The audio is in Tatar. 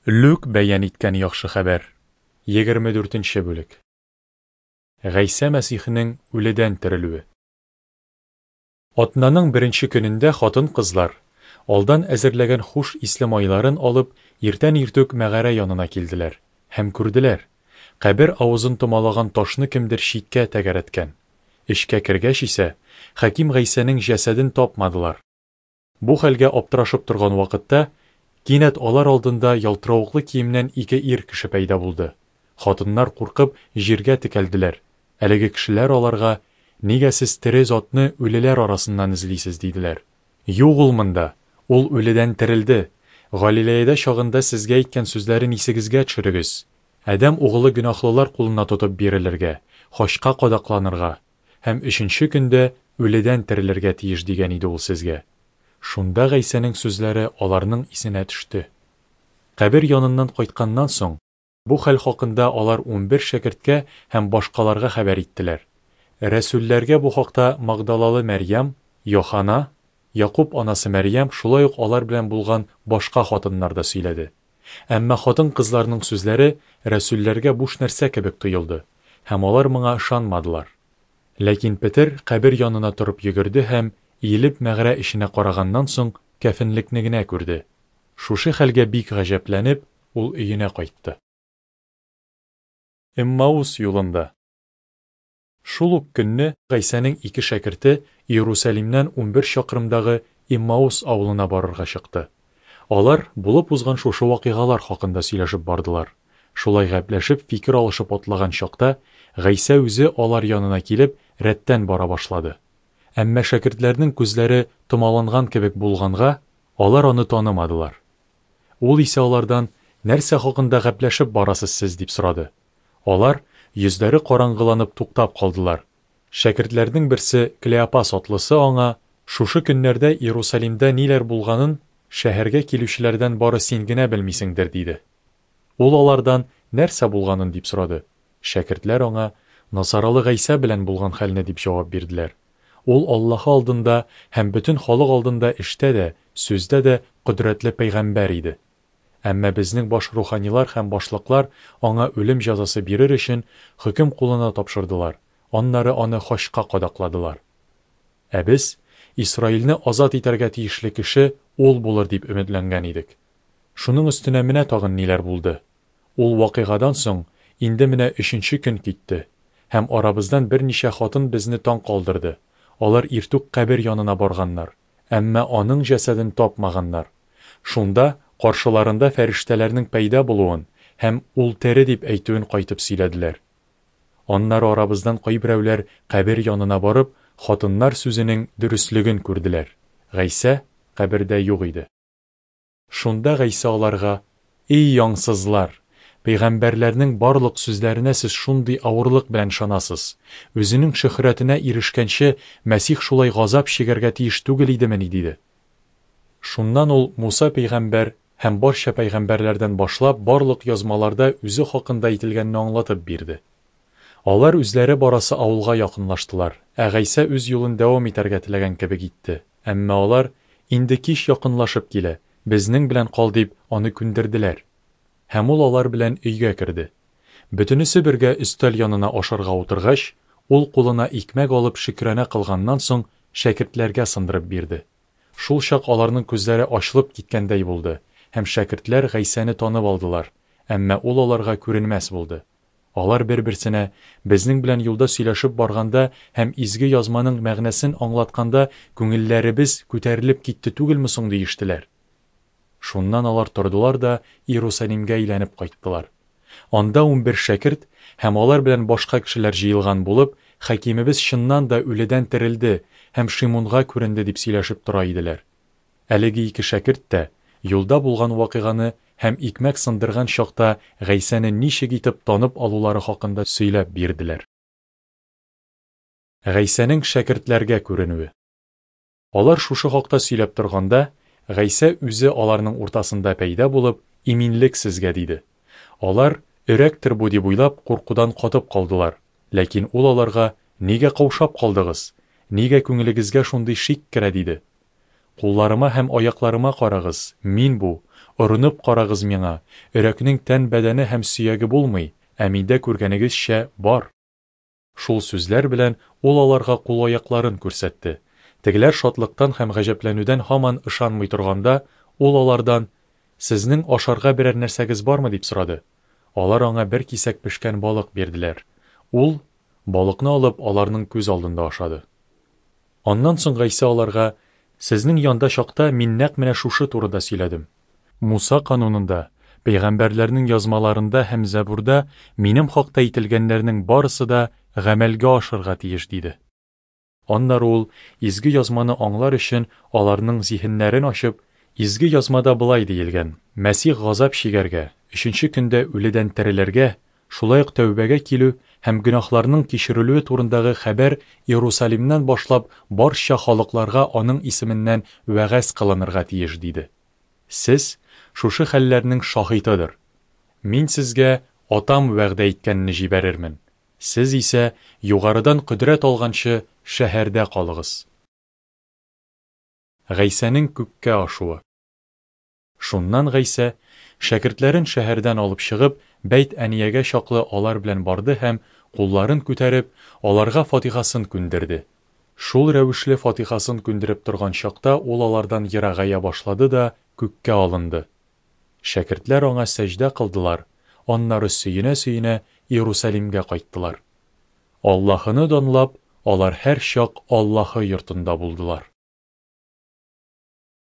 Лүк бәян иткән Яхшы хәбәр, 24 нче бүлек. Гайсә Мәсихнең үледән терелүе. Атнаның беренче көнендә хатын-кызлар, алдан әзерләгән хуш исле майларын алып, иртән иртүк мәгарә янына килделәр һәм күрделәр, кабер авызын томалаган ташны кемдер читкә тәгәрәткән. Эчкә кергәч исә, Хәким Гайсәнең җәсәден тапмадылар. Бу хәлгә аптырашып торган вакытта, кинәт алар алдында ялтыравыклы киемнән ике ир кеше пәйда булды. Хатыннар куркып, җиргә текәлделәр. Әлеге кешеләр аларга, Нигә сез тере затны үлеләр арасыннан эзлисез? диделәр. Юк ул монда, ул үледән терелде. Галилеядә чагында сезгә әйткән сүзләрен исегезгә төшерегез. Адәм угылы гөнаһлылар кулына тотып бирелергә, хачка кадакланырга һәм өченче көндә үледән терелергә тиеш дигән иде ул сезгә. Шунда Гайсәнең сүзләре аларның исенә төште. Кабер яныннан кайтканнан соң, бу хәл хакында алар 11 шәкерткә һәм башкаларга хәбәр иттеләр. Рәсүлләргә бу хакта Магдалалы Мәрьям, Йохана, Якуб анасы Мәрьям, шулай ук алар белән булган башка хатыннар да сөйләде. Әмма хатын-кызларның сүзләре рәсүлләргә буш нәрсә кебек тоелды, һәм алар моңа ышанмадылар. Ләкин Петер кабер янына торып йөгерде һәм, иелеп мәгарә эченә караганнан соң, кәфенлекне генә күрде. Шушы хәлгә бик гаҗәпләнеп, ул өенә кайтты. Эммаус юлында. Шул ук көнне Гайсәнең ике шәкерте Иерусалимнән 11 чакрымдагы Эммаус авылына барырга чыкты. Алар булып узган шушы вакыйгалар хакында сөйләшеп бардылар. Шулай гәпләшеп, фикер алышып атлаган чакта, Гайсә үзе алар янына килеп, рәттән бара башлады. Әмма шәкертләрнең күзләре томаланган кебек булганга, алар аны танымадылар. Ул исә алардан, Нәрсә хакында гәпләшеп барасыз сез? дип сорады. Алар, йөзләре караңгыланып, туктап калдылар. Шәкертләрнең берсе, Клеопас атлысы аңа, Шушы көннәрдә Иерусалимда ниләр булганын шәһәргә килүчеләрдән бары син генә белмисеңдер, диде. Ул алардан, Нәрсә булганын? дип сорады. Шәкертләр аңа, Насаралы Гайсә белән булган хәлне, дип җавап бирделәр. Ул Аллаһы алдында һәм бөтен халык алдында эштә дә, сүздә дә кодрәтле пәйгамбәр иде. Әмма безнең баш руханилар һәм башлыклар аңа үлем җәзасы бирер өчен хөкем кулына тапшырдылар, аннары аны хачка кадакладылар. Ә без, Исраилне азат итәргә тиешле кеше ул булыр дип өметләнгән идек. Шуның өстенә менә тагын ниләр булды. Ул вакыйгадан соң инде менә өченче көн китте, һәм арабыздан берничә хатын безне таң калдырды, алар иртүк кабер янына барганнар, әмма аның җәсәден тапмаганнар. Шунда каршыларында фәрештәләрнең пәйда булуын һәм ул тере дип әйтүен кайтып сөйләделәр. Аннары арабыздан кайберәүләр кабер янына барып, хатыннар сүзенең дөреслеген күрделәр, Гайсә кабердә юк иде. Шунда Гайсә аларга, Эй, аңсызлар! Пәйгамбәрләрнең барлык сүзләренә сез шундый авырлык белән ышанасыз! Үзенең шөһрәтенә ирешкәнче, Мәсих шулай газап чигәргә тиеш түгел идемени? диде. Шуннан ул Муса пәйгамбәр һәм барча пәйгамбәрләрдән башлап барлык Язмаларда үзе хакында әйтелгәнне аңлатып бирде. Алар үзләре барасы авылга якынлаштылар, ә Гайсә үз юлын дәвам итәргә теләгән кебек итте, әмма алар, Инде кич якынлашып килә, безнең белән кал, дип, аны күндерделәр. Һәм ул алар белән өйгә керде. Бөтенесе бергә өстәл янына ашарга утыргач, ул кулына икмәк алып шөкрана кылганнан соң, шәкертләргә сындырып бирде. Шул чак аларның күзләре ачылып киткәндәй булды, һәм шәкертләр Гайсәне танып алдылар, әмма ул аларга күренмәс булды. Алар бер-берсенә, Безнең белән юлда сөйләшеп барганда һәм Изге Язманың мәгънәсен аңлатканда күңелләребез күтәрелеп китте түгелме соң, диештеләр. Шуннан алар тордылар да Иерусалимгә әйләнеп кайттылар. Анда 11 шәкерт һәм алар белән башка кешеләр җыелган булып, Хакимебез чыннан да үледән терелде һәм Шимунга күренде дип сөйләшеп тора иделәр. Әлеге ике шәкерт тә юлда булган вакыйганы һәм икмәк сындырган чакта Гайсәне ничек итеп танып алулары хакында сөйләп бирделәр. Гайсәнең шәкертләргә күренүе. Алар шушы хакта сөйләп торганда, Гайсә үзе аларның уртасында пәйда булып, Иминлек сезгә, диде. Алар, өрәктер бу дип уйлап, куркудан катып калдылар. Ләкин ул аларга, Нигә каушап калдыгыз? Нигә күңелегезгә шундый шик керә? диде. Кулларыма һәм аякларыма карагыз, мин бу. Орынып карагыз миңа, өрәкнең тән-бәдәне һәм сөяге булмый, ә миндә күргәнегезчә бар. Шул сүзләр белән ул аларга кул-аякларын күрсәтте. Тегеләр шатлыктан һәм гаҗәпләнүдән һаман ышанмый торганда, ул алардан, Сезнең ашарга берәр нәрсәгез бармы? дип сорады. Алар аңа бер кисәк пешкән балык бирделәр. Ул, балыкны алып, аларның күз алдында ашады. Аннан соң Гайсә аларга, Сезнең янда чакта мин нәкъ менә шушы турыда сөйләдем. Муса канунында, пәйгамбәрләрнең язмаларында һәм Зәбурда минем хакта әйтелгәннәрнең барысы да гамәлгә ашырга тиеш, диде. Аннары ул, Изге Язманы аңлар өчен, аларның зиһеннәрен ачып, Изге Язмада болай диелгән, Мәсих газап чигәргә, өченче көндә үледән терелергә, шулай ук тәүбәгә килү һәм гөнаһларның кичерелүе турындагы хәбәр Иерусалимнан башлап барча халыкларга аның исеменнән вәгазь кылынырга тиеш, диде. Сез, шушы хәлләрнең шаһитыдыр. Мин сезгә Атам вәгъдә иткәнне җибәрермен. Сез исә, югарыдан кодрәт алганчы, шәһәрдә калыгыз. Гайсәнең күккә ашуы. Шуннан Гайсә, шәкертләрен шәһәрдән алып чыгып, Бәйт-Әниягә чаклы алар белән барды һәм, кулларын күтәреп, аларга фатихасын күндерде. Шул рәвешле фатихасын күндереп торган чакта ул алардан ерагая башлады да күккә алынды. Шәкертләр аңа сәҗдә кылдылар, аннары сөенә-сөенә Иерусалимгә кайттылар. Аллаһыны данлап, алар һәрчак Аллаһы йортында булдылар.